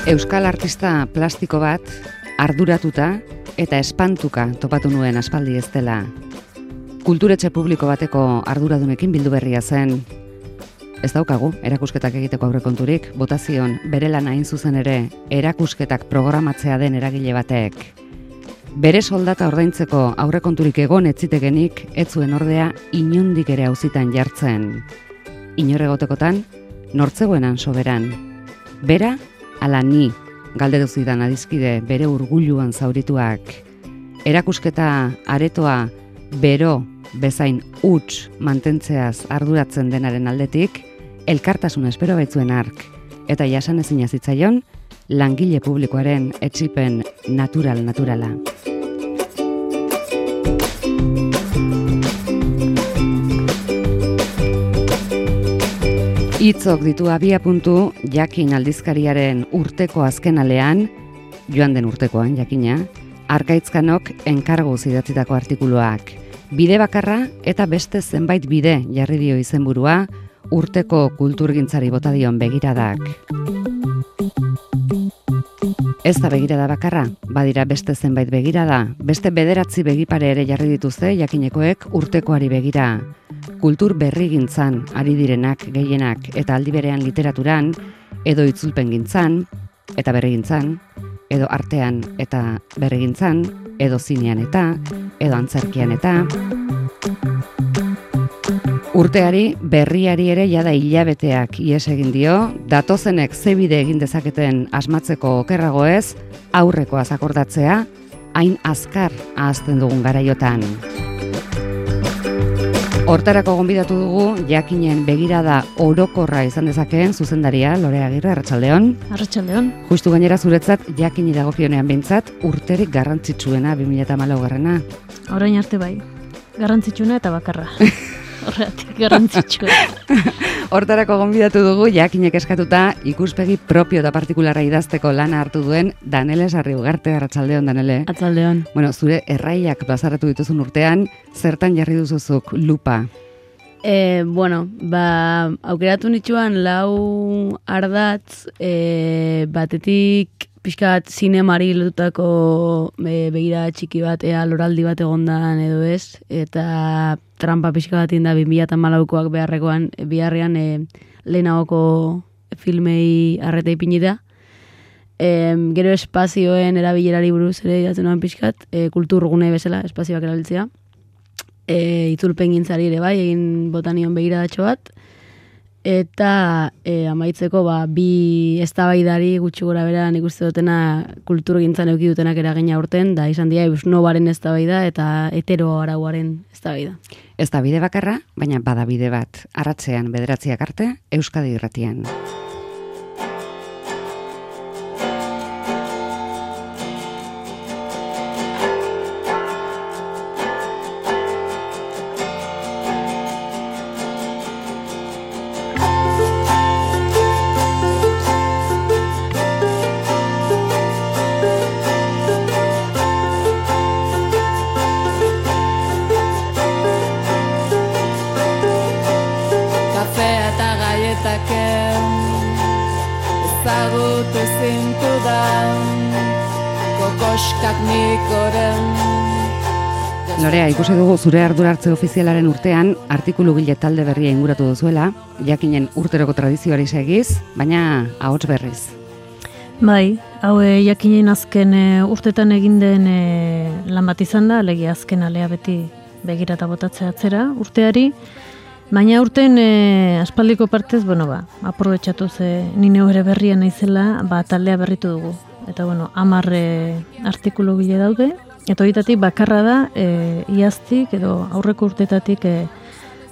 Euskal artista plastiko bat arduratuta eta espantuka topatu nuen aspaldi ez dela. Kulturetxe publiko bateko arduradunekin bildu berria zen. Ez daukagu erakusketak egiteko aurrekonturik, botazion bere lana hain zuzen ere erakusketak programatzea den eragile batek. Bere soldata ordaintzeko aurrekonturik egon etzitegenik, ez zuen ordea inondik ere auzitan jartzen. Inor egotekotan, nortzegoenan soberan. Bera, ala ni, galdetu zidan adizkide bere urguluan zaurituak. Erakusketa aretoa bero bezain huts mantentzeaz arduratzen denaren aldetik, elkartasuna espero baitzuen ark, eta jasan ezina zitzaion, langile publikoaren etsipen naturala. Hitzok ditu abiapuntu Jakin aldizkariaren urteko azkenalean, joan den urtekoan jakina, Arkaitzkanok enkarguz idatzitako artikuluak. Bide bakarra eta beste zenbait bide jarri dio izenburua urteko kulturgintzari bota dion begiradak. Ez da begirada bakarra, badira beste zenbait begirada, beste 9 begipare ere jarri dituzte jakinekoek urtekoari begira. Kultur berrigintzan ari direnak gehienak eta aldi berean literaturan, edo itzulpengintzan, eta berrigintzan, edo artean eta berrigintzan, edo zinean edo antzerkian eta. Urteari, berriari ere jada hilabeteak ihes egin dio, datozenek zebide egin dezaketen asmatzeko okerrago ez, aurrekoaz akordatzea, hain azkar ahazten dugun garaiotan. Hortarako gonbidatu dugu, jakinen begirada orokorra izan dezakeen zuzendaria, Lore Agirre, arratsaldeon. Arratsaldeon. Justu gainera zuretzat, jakini dagokionean behintzat, urterik garrantzitsuena 2014. Orain arte bai, garrantzitsuena eta bakarra. Horregatik garrantzitsua. Hortarako gonbidatu dugu, jakinek eskatuta ikuspegi propio eta partikularra idazteko lana hartu duen Danele Sarri-Ugarte, arratsaldeon, Danele. Arratsaldeon. Bueno, zure erraiak plazaratu dituzun urtean, zertan jarri duzuzuk lupa? Aukeratu nituen 4 ardatz, batetik pixkat zinemari lotutako begira txiki bat, loraldi bat egondan edo ez, eta trampa pixka bat inda 2014koak biharrean lehenagoko filmei arreta ipinita. Gero espazioen erabilerari buruz ere idatzen noan pixkat, kulturgune bezala espazioak erabiltzea. Itzulpengintzari ere bai, egin botanion begiradatxo bat. Eta amaitzeko bi eztabaidari gutxi gora bera nik uste dutena kulturgintzan eduki dutenak eragina urten, da izan dira Eusnobaren eztabaida eta hetero arauaren eztabaida. Ez da bide bakarra, baina bada bide bat, arratsean 9 arte, Euskadi Irratian. Lorea, ikusi dugu zure ardurartze ofizialaren urtean artikulu gile talde berria inguratu duzuela, jakinen urteroko tradizioari segiz, baina ahots berriz. Bai, hau jakinen azken urtetan egin den lan bat izan da, alegia azken alea beti begirata botatzea atzera urteari, baina urten aspaldiko partez, aprobetxatu ze nine ere berria naizela, taldea berritu dugu. Eta 10 artikulu gile daude, eta horietatik bakarra da iaztik edo aurreko urtetatik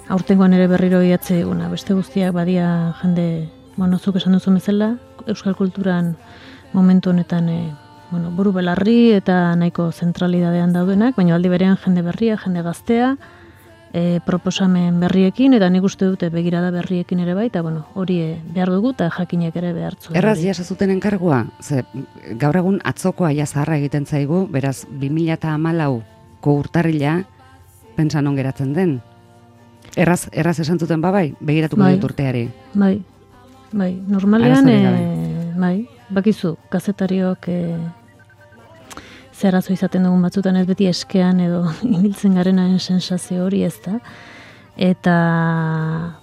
aurtengoan ere berriro idatze eguna. Beste guztiak badia jende, zuk esan duzu bezala, euskal kulturan momentu honetan buru belarri eta nahiko zentralidadean daudenak, baina aldi berean jende berria, jende gaztea, proposamen berriekin, eta nik uste dute begirada berriekin ere bai, eta hori behar dugu eta jakinek ere behartzu. Erraz jasazuten enkargua, ze gaur egun atzokoa zaharra egiten zaigu, beraz 2014ko urtarrila pentsa non geratzen den. Erraz esan zuten bai, begiratuko dut urteari. Bai, normalean, bakizu, kazetariok zeharazo izaten dugun batzutan ez beti eskean edo ibiltzen garenaren sensazio hori ez da. Eta,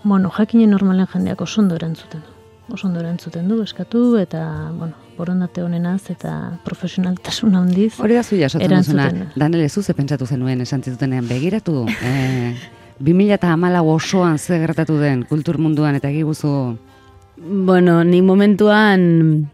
bueno, jakinen normalen jendeak oso ondo erantzuten du. Oso ondo erantzuten du, eskatu, eta, bueno, borondate honenaz eta profesionaltasun handiz. Hori da zu jasotzen duzuna, Danele, zuze pentsatu zenuen esan zitutenean begiratu. 2014 osoan ze gertatu den kultur munduan eta egiguzu? Bueno, ni momentuan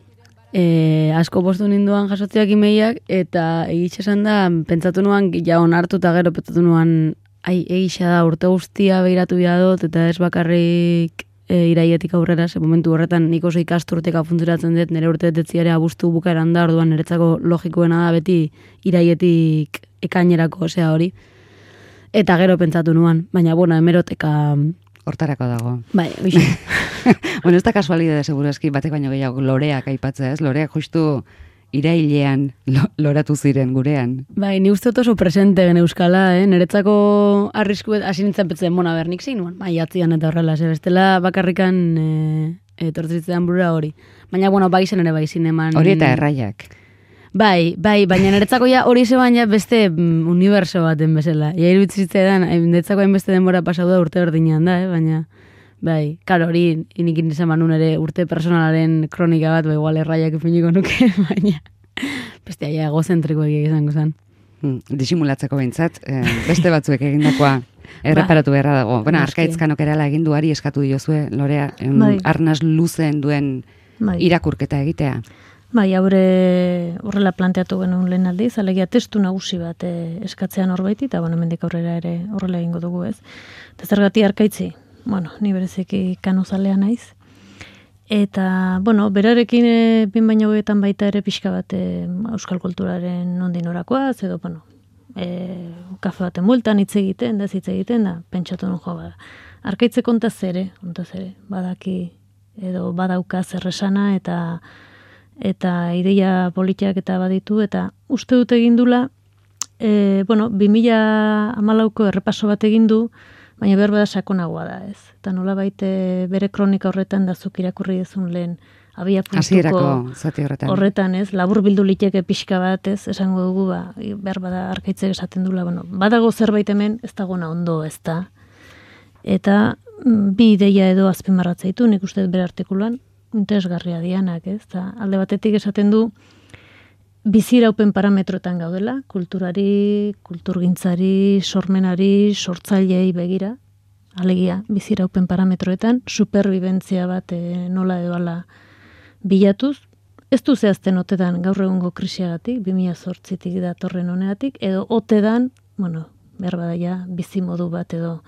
asko postu ninduan jasotziak imeiak, eta egitxe esan da, pentsatu nuan, ja onartu eta gero pentsatu nuan, egixa da, urte guztia behiratu dut, eta ez bakarrik iraietik aurrera, ze momentu horretan nik oso ikasturteka funtzionatzen dut, nire urte detziare abuztu bukaeran da, orduan niretzako logikoena da beti iraietik ekainerako, osea hori. Eta gero pentsatu nuan, baina, bueno, hemeroteka hortarako dago. Bai, oixe. Bueno, ez da kasualidade segurazki batek baino gehiago loreak aipatzea, ez? Loreak justu irailean loratu ziren gurean. Bai, ni uste oso presente gen euskala, niretzako arrisku hasi nintzen petzen, bona ber, nik zein nuen, maiatzian eta horrela, bestela bakarrikan etortzitzean burura hori. Baina, bueno, bai zen ere bai zineman. Hori eta erraiak. Bai, baina niretzako ja hori zeban ja beste uniberso baten bezala. Ja iruditzitzean, niretzako hainbeste denbora pasau da urte berdinean da, baina... Bai, karo, hori inikin izan manun ere urte personalaren kronika bat, igual erraiak ipiniko nuke, baina beste aia egozentriko izango zen. Disimulatzeko behintzat, beste batzuek egindakoa erreparatu beharra dago. Bueno, Arkaitzkanok erala eginduari eskatu diozue, Lorea, arnaz luzen duen irakurketa egitea. Bai, horrela planteatu genuen lehen aldiz, alegia testu nagusi bat eskatzean horbaiti, eta bueno, mendik aurrera ere horrela egingo dugu ez. Eta zergati Arkaitzi? Bueno, ni bereziki kanuzalea naiz. Eta, bueno, berarekin bin baino goetan baita ere pixka bat euskal kulturaren nondin orakoaz, edo, bueno, kafe baten multan hitz egiten da, pentsatu nun jo, Arkaitze kontaz ere, badaki, edo badauka zerresana, eta ideia politiak eta baditu, eta uste dut egindula, bueno, 2014ko errepaso bat egindu, baina behar bada sakonagoa da, ez. Eta nola baite bere kronika horretan da zuk irakurri dezun lehen abia puntuko horretan, ez. Labur bildu liteke pixka bat, ez, esango dugu, behar bada Arkaitzek esaten dula, bueno, badago zerbait hemen, ez dagona ondo, ez da. Eta bi ideia edo azpimarratzaitu, nik uste bere artikulan, interesgarria dianak, ez. Eta alde batetik esaten du, biziraupen parametroetan gaudela, kulturari, kulturgintzari, sormenari, sortzailei begira, alegia, biziraupen parametroetan, superbibentzia bat nola edo ala bilatuz, ez du zehazten otedan gaur egungo krisiagatik, 2008tik datorren honeatik, edo otedan, bueno, behar badaia, bizimodu bat edo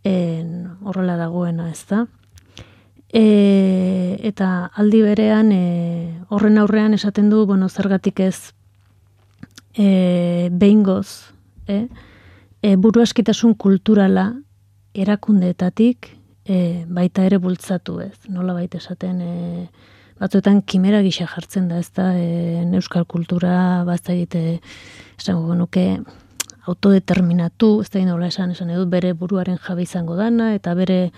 horrela dagoena, ez da. Eta aldi berean horren aurrean esaten du, bueno, zergatik ez behingoz buruaskitasun kulturala erakundeetatik baita ere bultzatu, ez. Nola baita esaten batzuetan kimera gisa jartzen da, ez da, euskal kultura, ez da egite, esango nuke, autodeterminatu, ez da nola esan edut, bere buruaren jabe izango dana, eta bere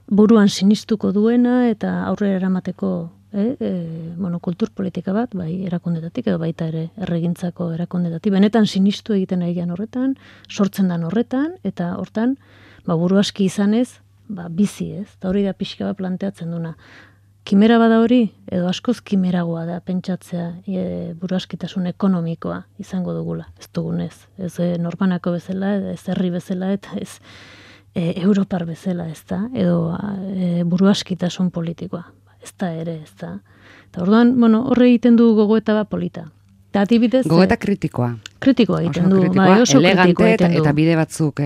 buruan sinistuko duena, eta aurrera eramateko bueno, kultur politika bat, bai erakundetatik, edo baita ere erregintzako erakundetatik. Benetan sinistu egiten egian horretan, sortzen dan horretan, eta hortan, buru aski izanez, bizi ez. Eta hori da pixka bat planteatzen duna. Kimera bada hori, edo askoz kimeragoa da pentsatzea buru askitasun ekonomikoa izango dugula. Ez dugunez. Ez norbanako bezala, ez herri bezala, eta ez Europar bezala, ez da, edo buruaskitasun politikoa. Ez da ere, ez da. Eta orduan, bueno, horre egiten du gogoeta bat polita. Eta adibidez... Gogoeta kritikoa. Kritikoa egiten du. Oso elegante eta bide batzuk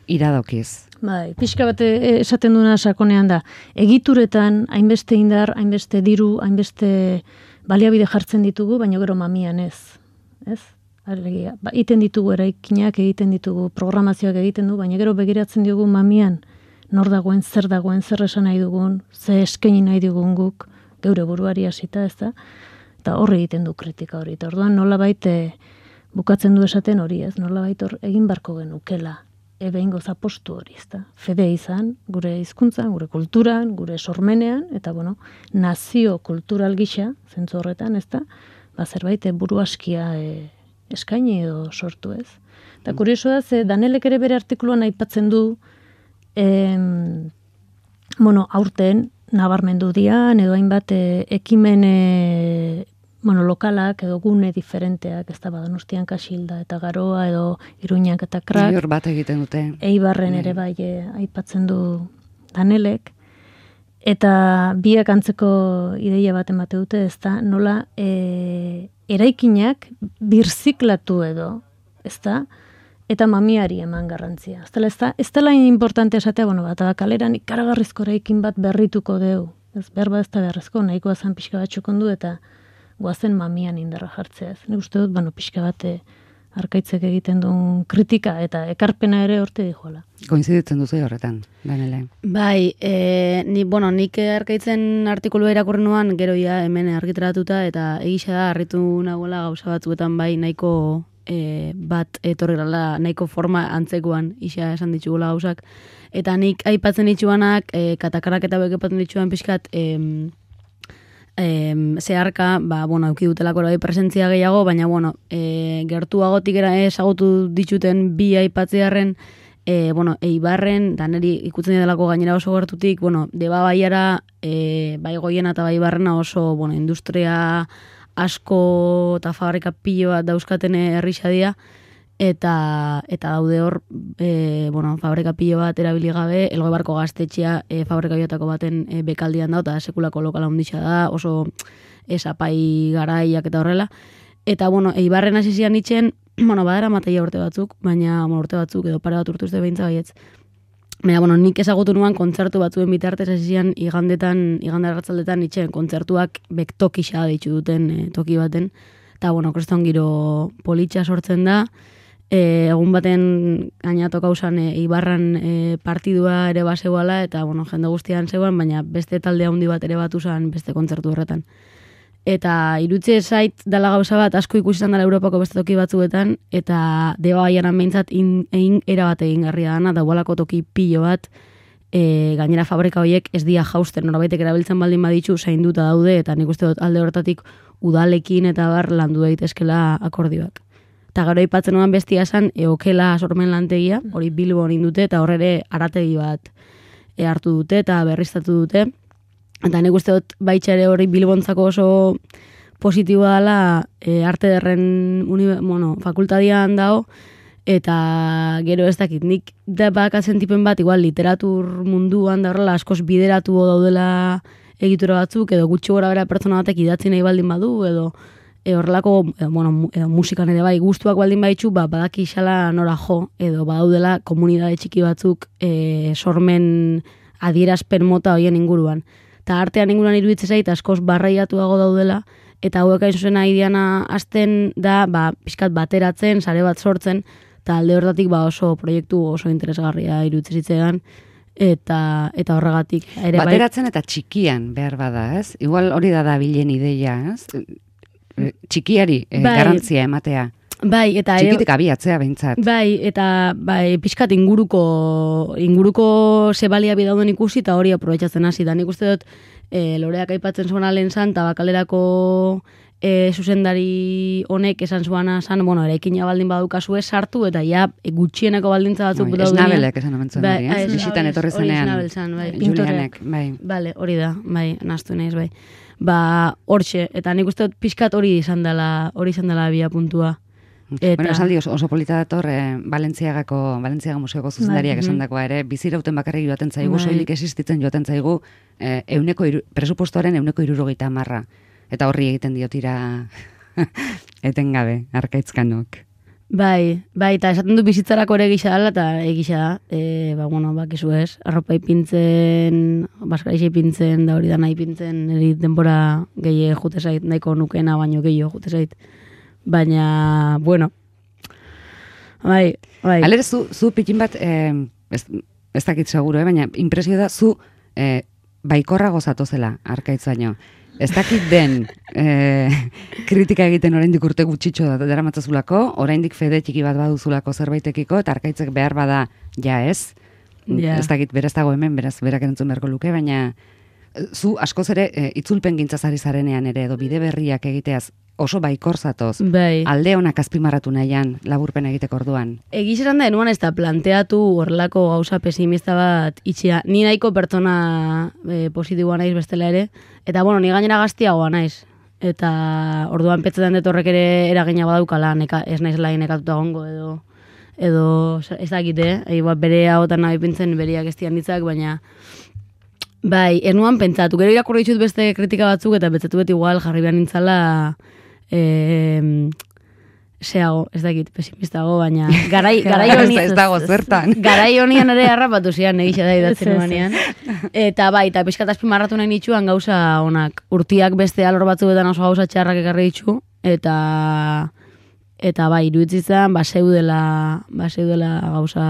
iradokiz. Bai, pixka bat esaten duna sakonean da. Egituretan, hainbeste indar, hainbeste diru, hainbeste baliabide jartzen ditugu, baina gero mamian ez. Ez? Iten ditugu eraikinak, egiten ditugu programazioak egiten du, baina gero begiratzen diogu mamian nor dagoen, zer esan nahi dugun, ze eskaini nahi dugun guk, geure buruari hasita, ez da? Eta horre egiten du kritika hori. Eta orduan nola baite bukatzen du esaten hori, ez? Nola baite egin barko genukela. behingoz apostu hori, ezta? Fede izan, gure hizkuntzan, gure kulturan, gure sormenean, eta bueno, nazio kultural gisa, zentzu horretan, ezta? Zerbait buru askia eskaini edo sortu, ez? Eta kurioso da, Danelek ere bere artikuluan aipatzen du, aurten nabarmendu dian, edo hainbat ekimen lokalak edo gune diferenteak, ez da Donostian Kasilda eta Garoa edo Iruñak eta Krak. Hor bat egiten dute. Eibarren ere bai aipatzen du Danelek. Eta biak antzeko ideia bat emate dute, ez da, nola eraikinak birziklatu edo, ez da, eta mamiari eman garrantzia. Ez dela importante esatea, eta kaleran ikaragarrizko eraikin bat berrituko deu. Ez berba ez da beharrezko, nahikoa zan pixka bat txokondu eta goazen mamian indarra jartzea. Ez uste dut, pixka bat arkaitzek egiten duen kritika eta ekarpena ere horte dijoala. Koinziditzen duzu horretan, Danele? Bai, nik arkaitzen artikulua irakurri nuan, gero ja hemen argitaratuta, eta egisa da, harritu nagoela gauza batzuetan bai nahiko bat etorri gala, nahiko forma antzekoan isa esan ditugula gauzak. Eta nik aipatzen dituanak, katakarak eta bekepatzen dituan pixkat, zeharka, euki dutelako bai presentzia gehiago, baina, gertuagotik ezagutu dituten bi aipatzearen, Eibarren, da niri ikutzen delako gainera oso gertutik, Deba Baiara, bai Goiena eta bai Barrena oso, industria asko eta fabrika pilo bat dauzkaten herrixadia, eta daude hor, fabrika pilo bat erabili gabe, Elgoibarko gaztetxea fabrika biotako baten bekaldian da, eta sekulako lokala onditxa da, oso esapai garaiak eta horrela. Eta, Eibarren hasi zian itxen, badera mateia urte batzuk, baina urte batzuk edo pare bat urtuzte behintza baietz. Baina, nik ezagutu nuan kontzertu batzuen bitartez hasi zian igande arratzaldetan itxen kontzertuak bektokisa ditu duten toki baten. Eta, kriston giro politxa sortzen da. Egun baten gainatu kauzan Eibarran partidua ere basegoala, eta, jende guztian zegoen, baina beste talde handi bat ere batu zen beste kontzertu horretan. Eta irutze zait dela gauza bat asko ikusi izan dela Europako beste toki batzuetan, eta Deba Baiaran behintzat erabat egin garria dana, daualako toki pilo bat, gainera fabrika horiek ez dia jausten, norabaitek erabiltzen baldin baditzu zainduta daude, eta nik uste dut alde horretatik udalekin eta bar landu daitezkela akordioak. Eta gero aipatzen nuan bestia esan, Okela sormen lantegia, hori Bilbon indute, eta horre arategi bat hartu dute eta berriztatu dute. Eta nik uste dut baitxare hori Bilbontzako oso positiboa dela arte derren fakultadian dago, eta gero ez dakit, nik da bakatzen tipen bat, igual literatur munduan da horrela askoz bideratu daudela egitura batzuk, edo gutxi gora bera pertsona batek idatzi nahi baldin badu, edo horrelako, edo musikan ere bai, gustuak baldin baitzu, badaki xala nora jo, edo badaudela komunidade txiki batzuk sormen adierazpen mota hoien inguruan. Eta artean inguruan iruditzen zait askoz barraiatuago daudela, eta hauek hain zuzen diana hasten da, pixkat bateratzen, sare bat sortzen, eta alde horretatik oso proiektu oso interesgarria iruditzen zitzean, eta horregatik. Bateratzen eta txikian behar bada, ez? Igual hori da bilen ideia, ez? Txikiari garrantzia ematea. Bai, eta txikitik abiatzea behintzat. Bai, eta pixkat inguruko zebalia bidauden ikusi eta hori aprobetxatzen hasi. Da nik uste dut Loreak aipatzen zuena lehen zan, eta Bakalerako zuzendari honek esan zuana zan, eraikina baldin badukazue sartu, eta ja gutxieneko baldintza batzuk daudenia. Esnabelek esan omentzen hori, bisitan etorri zenean. Hori Esnabel zan, bai. Julianek, bai. Bale, hori da, bai, naztu naiz, bai. Hortxe, eta nik uste dut pixkat hori izan dela bia puntua. Bueno, esaldi oso polita dator Valentziaga museoko zuzendariak esandakoa ere, bizirauten bakarrik joaten zaigu, soilik existitzen joaten zaigu presupuestoaren 70%. Eta horri egiten diotira etengabe, arkaitzkanok. Bai, eta esaten du bizitzarako ere gisa dela, eta egisa da, bakizu ez, arropa ipintzen, baskara ipintzen, da hori da nahi ipintzen, eri denbora gehiago jute zait, nahiko nukena baino gehiago jute zait. Baina, bai. Alere, zu pikin bat, ez dakit seguro, baina impresio da, zu baikorra gozatu zela, arkaitz baino. Ez dakit den kritika egiten oraindik urte gutxitxo daramatzazulako, oraindik fede txiki bat baduzulako zerbaitekiko, eta Arkaitzek behar bada ja ez. Ja. Ez dakit beraz dago hemen, beraz berak erantzun beharko luke, baina zu askoz ere itzulpen gintzazari zarenean ere, edo bide berriak egiteaz oso baikor zatoz. Bai. Alde honak azpimarratu nahian laburpen egiteko orduan. Egiz esan da, enuan ez da planteatu horrelako gauza pesimista bat itxia. Ni nahiko pertsona positiboa naiz bestela ere, eta bueno, ni gainera gaztiagoa naiz. Eta orduan petzetan dut horrek ere eragina badaukala, ez naiz lai nekatuta gongo edo ez dakite, bere hagotan nahi pintzen beriak ez ditzak, baina bai, ez nuan pentsatu. Gero irakurri ditut beste kritika batzuk eta betzatu beti igual jarri behar nintzala zeago, ez dakit, pesimistago, baina garai honi ez dago zertan. Garai honian ere harrapatu zian egisa da idatzen nuanean. Eta bai, eta pixkat azpimarratu nahi nitxuan gauza onak. Urtiak beste alor batzuetan oso gauza txarrak ekarri ditxu, eta bai, iruditzen baseudela gauza...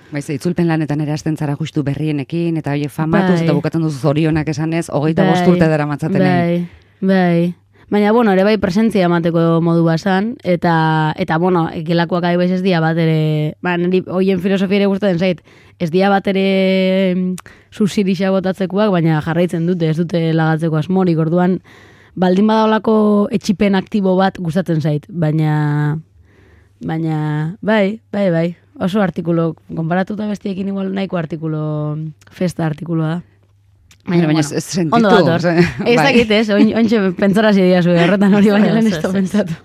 Baiz, itzulpen lanetan ere hasten zara justu berrienekin, eta horiek famatuz, eta bukatzen duzu zorionak esanez, 25 urte dara matzaten. Bai. Baina, bueno, ere bai presentzia emateko modu basan, eta bueno, gelakoak adibaiz ez dia bat ere, niri hoien filosofia ere gustatzen zait, ez dia bat ere subsirisa botatzekoak, baina jarraitzen dute, ez dute lagatzeko asmorik, orduan, baldin badaolako etxipen aktibo bat gustatzen zait, baina, bai, oso artikulo, konparatuta bestiekin igual nahiko artikulo, festa artikuloa da. Baina ez sentitu. Ondo dator. Ez dakit ez, ointxe pentsara zidia zuen, horretan hori baina lehen ez da pentsatu.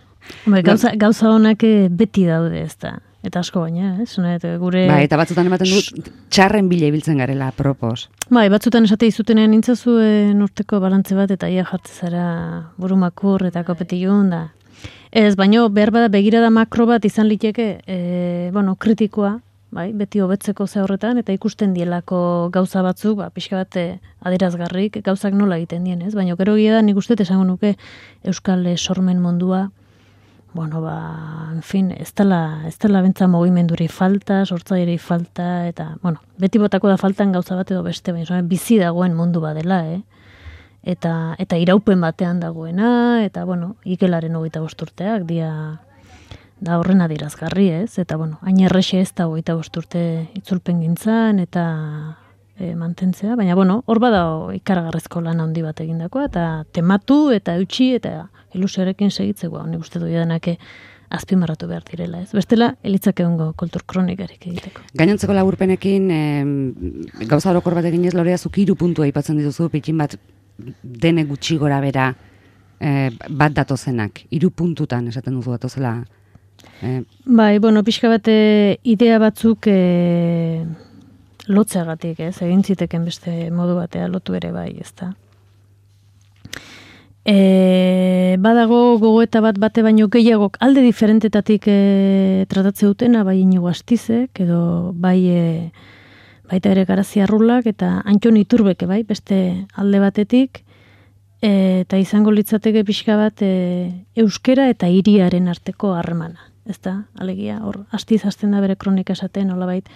Gauza honak beti daude ez da. Eta asko baina, gure... Bai, eta batzutan ematen du txarren bila ibiltzen garela, propos. Bai, batzutan esate izutenean nintzazuen urteko balantze bat, eta ia jartzezara burumakur eta kopetilun da. Ez, baino, behar bada begirada makro bat izan liteke, kritikoa, bai, beti hobetzeko ze horretan, eta ikusten dielako gauza batzuk, pixka bat adierazgarrik, gauzak nola egiten dien, ez? Baina gero gira da, nik uste esango nuke Euskal sormen mundua, en fin, ez dela bentsa mugimenduri falta, sortzaileri falta, eta, beti botako da faltan gauza bat edo beste, baina bizi dagoen mundu badela, eta iraupen batean dagoena, eta, ikelaren 25 urteak, da horren adierazgarri, ez? Eta, hain errexe ez da 25 urte itzulpen gintzan, eta mantentzea, baina, hor bada ikaragarrezko lan handi bat egindakoa, eta tematu, eta eutxi, eta ilusioarekin segitzeko, nik uste dut denak azpimarratu behar direla, ez? Bestela, elitzak egongo kultur kronikarik egiteko. Gainontzeko laburpenekin, gauza orokor bat eginez, Lorea, zuk 3 puntua aipatzen dituzu, pitxin bat dene gutxi gora bera bat datozenak, 3 puntutan esaten duzu datozela. Bai, pixka bat idea batzuk lotzeagatik, ez? Egin ziteken beste modu batea lotu ere bai, ez da. Badago gogoeta bat bate baino gehiagok alde diferentetatik tratatze dutena, bai Inigo Astizek, edo bai baita ere Garazia Arrulak, eta Antxon Iturbeke, bai, beste alde batetik, eta izango litzateke pixka bat euskera eta hiriaren arteko harremana. Ez da, alegia, hor, Astiz hasten da bere kronika esaten, nolabait,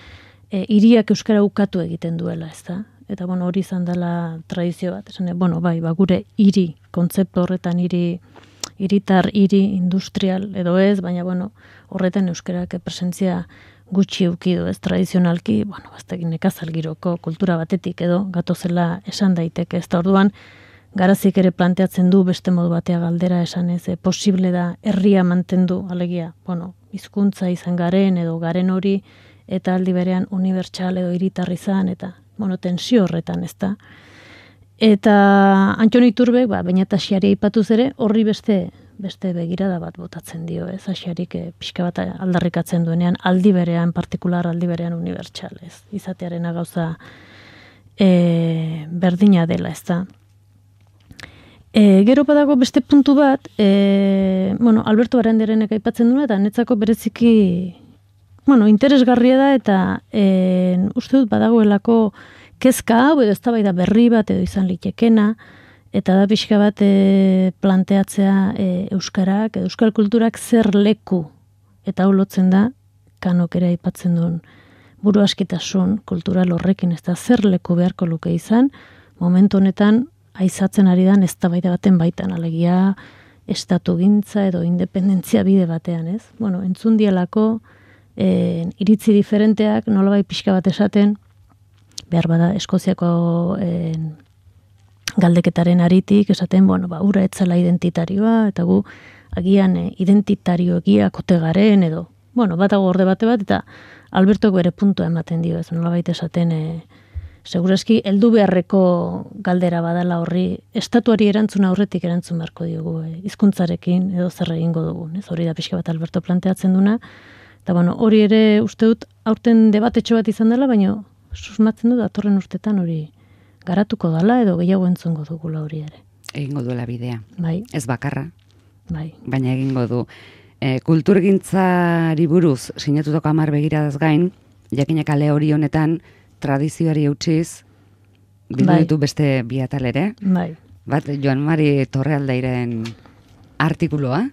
hiriak euskara ukatu egiten duela, ez da? Eta, hori izan dela tradizio bat, esan, bai, gure hiri, kontzeptu horretan hiritar, hiri industrial, edo ez, baina, horretan euskarak presentzia gutxi eukidu, ez tradizionalki, baztekin nekazalgiroko kultura batetik edo, gatozela esan daiteke, ez da orduan, Garazik ere planteatzen du beste modu batea galdera esan ez, posible da herria mantendu, alegia, hizkuntza izan garen edo garen hori, eta aldi berean unibertsal edo hiritar izan, eta, tensio horretan, ez da. Eta Antxon Iturbek, baina eta Asiari aipatuz ere, horri beste begirada bat botatzen dio, ez, Asiarik pixka bat aldarrikatzen duenean, aldi berean partikular, aldi berean unibertsal, ez, izatearen gauza berdina dela, ez da. Gero badago beste puntu bat, Alberto Barandiarenek aipatzen duena, eta netzako bereziki, interesgarria da, eta uste dut badagoelako kezka hau, edo eztabaida berri bat, edo izan litekena, eta da pixka bat planteatzea euskarak, edo euskal kulturak zer leku, eta hau lotzen da, Kanok ere aipatzen duen buru askitasun kultural horrekin, ez da zer leku beharko luke izan, momentu honetan aizatzen ari dan eztabaida baten baitan, alegia estatu gintza edo independentzia bide batean, ez? Bueno, entzun dielako iritzi diferenteak nolabait pixka bat esaten, behar bada Eskoziako galdeketaren aritik, esaten, bueno, ura etzela identitarioa, eta gu agian identitario egiak ote garen, edo, bueno, batago orde bate bat, eta Albertok bere puntua ematen dio, ez nolabait esaten, segurazki, heldu beharreko galdera badala horri, estatuari erantzun aurretik erantzun beharko diogu, hizkuntzarekin edo zer egingo dugun, ez hori da pixka bat Alberto planteatzen duna, eta bueno, hori ere uste dut aurten debatetxo bat izan dela, baina susmatzen dut datorren urtetan hori garatuko dala edo gehiago entzungo dugula hori ere. Egingo duela bidea. Bai. Ez bakarra. Bai. Baina egingo du. Kulturgintzari buruz sinatutako 10 begiradaz gain, jakinak ale hori honetan tradizioari eutxiz bildu ditu beste bi atal ere. Bai. Bat Joan Mari Torrealdairen artikuloa.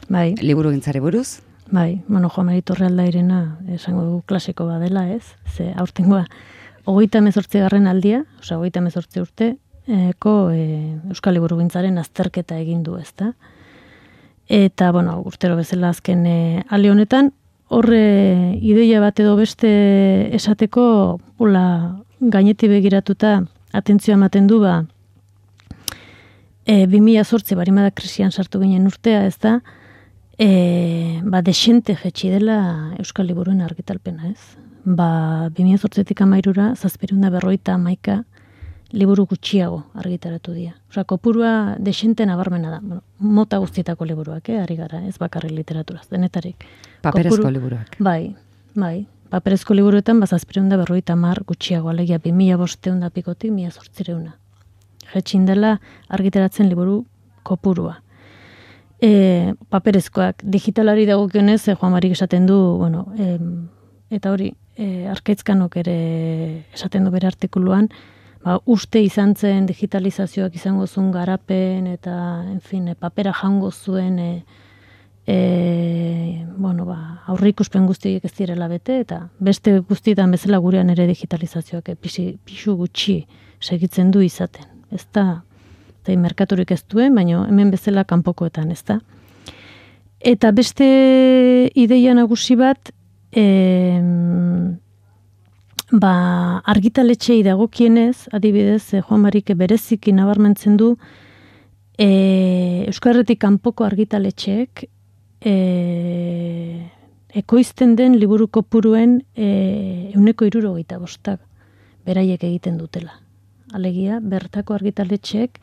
Bai. Liburugintzari buruz. Bai, bueno, Joan Mari Torrealdairena esango du klasiko badela, ez? Ze aurtengoa 38. aldia, osea 38 urteko Euskal Liburugintzaren azterketa egin du, ezta? Eta, bueno, urtero bezala azken ale honetan, horre ideia bat edo beste esateko, gaineti begiratuta atentzioa ematen du, 2008 barimada krisian sartu ginen urtea, ez da, desente jetxi dela Euskal Liburuen argitalpena, ez? 2008-tik 13-ra, 751 liburu gutxiago argitaratu dira. Osea, kopurua desente nabarmena da. Bueno, mota guztietako liburuak, ari gara, ez bakarrik literaturaz, denetarik. Paperezko liburuak. Bai. Paperezko liburuetan, 750 gutxiago, alegia 2500 pikotik 1800. Jetxin dela argitaratzen liburu kopurua. Paperezkoak, digitalari dagokionez, Joan Marik esaten du, bueno, eta hori, Arkaitzkanok ere esaten du bere artikuluan, uste izan zen digitalizazioak izango zuen garapen eta, papera jango zuen aurreikuspen guztiek ez direla bete, eta beste guztietan bezala gurean ere digitalizazioak pixu gutxi segitzen du izaten. Ez da, merkaturik ez duen, baina hemen bezala kanpokoetan, ez da. Eta beste ideia nagusi bat, argitaletxei dagokienez, adibidez, Joan Marik bereziki nabarmentzen du, Euskarretik kanpoko argitaletxeek ekoizten den liburu kopuruen 75% beraiek egiten dutela. Alegia, bertako argitaletxeek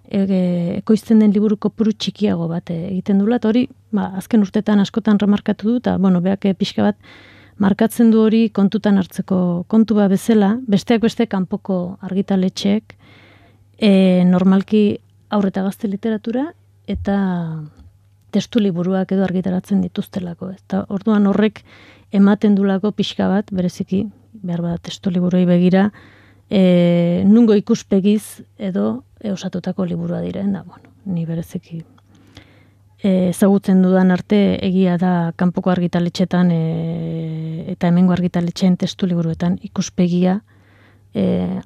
ekoizten den liburu kopuru txikiago bat egiten dula, eta hori, azken urtetan askotan remarkatu du, eta, beak pixka bat markatzen du hori kontutan hartzeko kontua bezala, besteak beste kanpoko argitaletxeek normalki haur eta gazte literatura eta testu liburuak edo argitaratzen dituztelako. Eta orduan horrek ematen dulako pixka bat, bereziki, behar bat testu liburuei begira, nungo ikuspegiz edo osatutako liburua diren, da, ni bereziki ezagutzen dudan arte egia da kanpoko argitaletxetan eta hemengo argitaletxeen testu liburuetan ikuspegia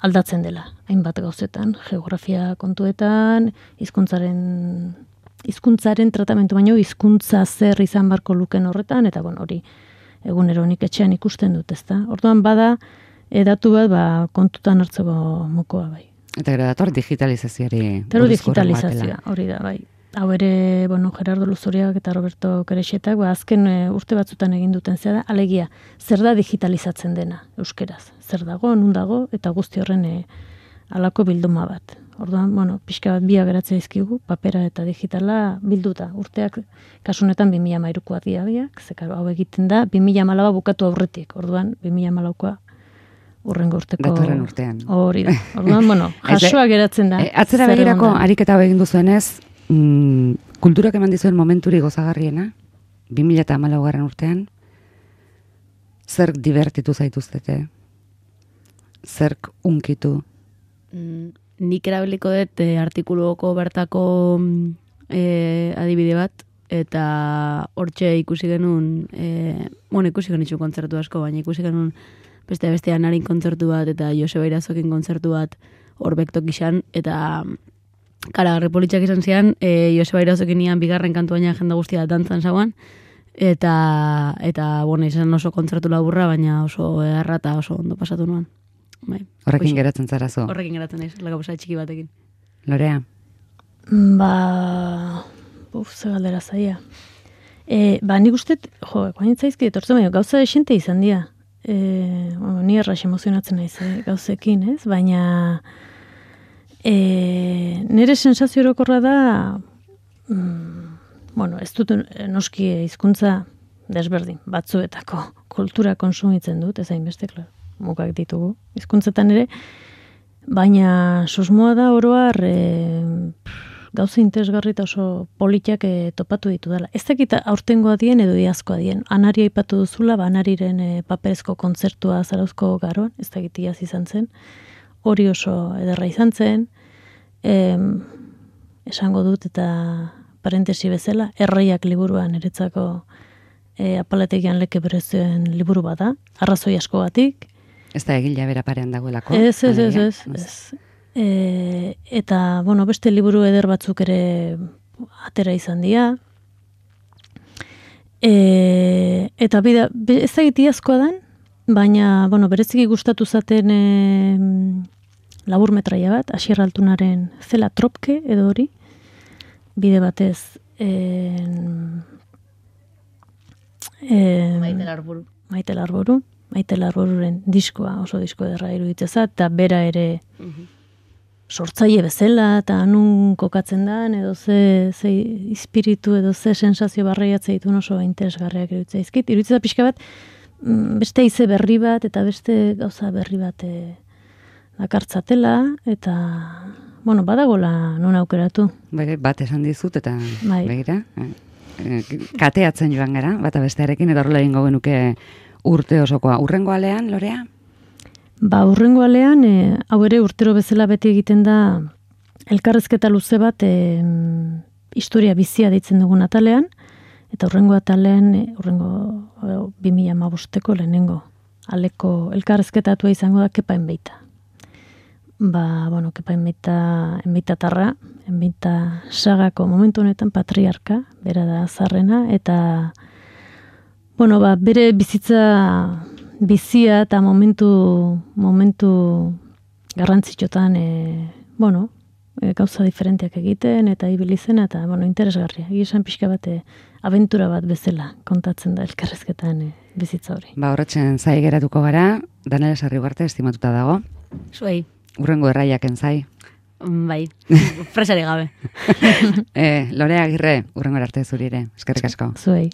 aldatzen dela, hainbat gauzetan, geografia kontuetan, hizkuntzaren tratamentu baino, hizkuntza zer izan barko luken horretan, eta hori egunero nik etxean ikusten dut, ezta? Orduan bada, datu bat kontutan hartzeko mokoa bai. Eta gero dator digitalizazioari. Eta digitalizazioa, hori da, bai. Hau ere, Gerardo Luzoriak eta Roberto Kerexetak, azken urte batzutan egin duten zera, alegia, zer da digitalizatzen dena euskeraz? Zer dago, nun dago, eta guzti horren alako bilduma bat. Orduan, pixka bat biak geratzea izkigu, papera eta digitala bilduta. Urteak, kasunetan 2013koak diabiak, zekaro hau egiten da, 2014 bukatu aurretik. Orduan, 2014koa urrengo urteko... Datorren urtean. Hori da. Orduan, jasoa geratzen da. Atzera begirako ariketa hau egin duzuenez, kulturak eman dizuen momenturi gozagarriena, 2014 urtean, zerk divertitu zaituztete? Zerk unkitu? Nik erabiliko dut artikuluoko bertako adibide bat, eta hortxe ikusi genuen, ikusi genitzu kontzertu asko, baina ikusi genuen bestean harin kontzertu bat, eta Joseba Irazokin kontzertu bat, horbektok izan, eta karagarri politxak izan zian, Joseba Irauzekin nian bigarren kantu baina jende guztia dantzan zauan, eta bueno, izan oso kontzertu laburra, baina oso erra eta oso ondo pasatu nuan. Bai. Horrekin geratzen zara zu? Horrekin geratzen naiz, laka pasa txiki batekin. Lorea? Ze galdera zaia. Nik uste, guain zaizki etortzen, baina gauza esente izan dira. Ni errax emozionatzen naiz, gauzekin, ez? Baina nire sensazio orokorra da, ez dut noski hizkuntza desberdin, batzuetako kultura konsumitzen dut, ez hainbeste, mugak ditugu, hizkuntzetan ere, baina susmoa da oroar gauza interesgarri eta oso politak topatu ditu dela. Ez dakit aurtengoa dien edo iazkoa dien. Anari aipatu duzula, Anariren paperezko kontzertua Zarauzko Garoan, ez dakit iaz izan zen. Hori oso ederra izan zen. Esango dut eta parentesi bezala, Erraiak liburuan eretzako apalategian leke berezioen liburu bada, arrazoi askogatik. Ez da egila bera parean dagoelako? Ez. Eta, beste liburu eder batzuk ere atera izan dira. Eta ez da gitiazkoa den, baina, bereziki gustatu zaten labur metraia bat, Asier Altunaren Zela Tropke edo hori, bide batez Maite Larburu. Maite Larboruren diskoa, oso disko ederra iruditzeza, eta bera ere sortzaile bezala, eta nun kokatzen da, edo ze espiritu, edo ze sensazio barreiatzea ditun oso interesgarriak iruditzea izkit. Iruditzea pixka bat, beste ize berri bat, eta beste gauza berri bat dakartzatela, eta, badagola non aukeratu. Bat esan dizut, eta begira, kateatzen joan gara, bata bestearekin, eta horrela egingo genuke urte osokoa. Urrengo alean, Lorea? Urrengo alean, hau ere urtero bezala beti egiten da elkarrezketa luze bat historia bizia deitzen dugun atalean, eta urrengo atalean, urrengo 2015ko lehenengo aleko elkarrezketatua izango da Kepa Enbeita. Kepa Enbeita tarra, Enbeita sagako momentu honetan patriarka, bera da zarrena, eta bere bizia eta momentu garrantzitsuetan gauza diferenteak egiten eta ibili zena eta interesgarria. Esan pixka bat abentura bat bezala kontatzen da elkarrezketan bizitza hori. Horretzen zai geratuko gara, Danela Sarrigarte estimatuta dago. Zuei. Urrengo erraiaken zai. Bai, presari gabe. Lorea Agirre, urrengo arte zuri ere. Eskerrik asko. Zuei.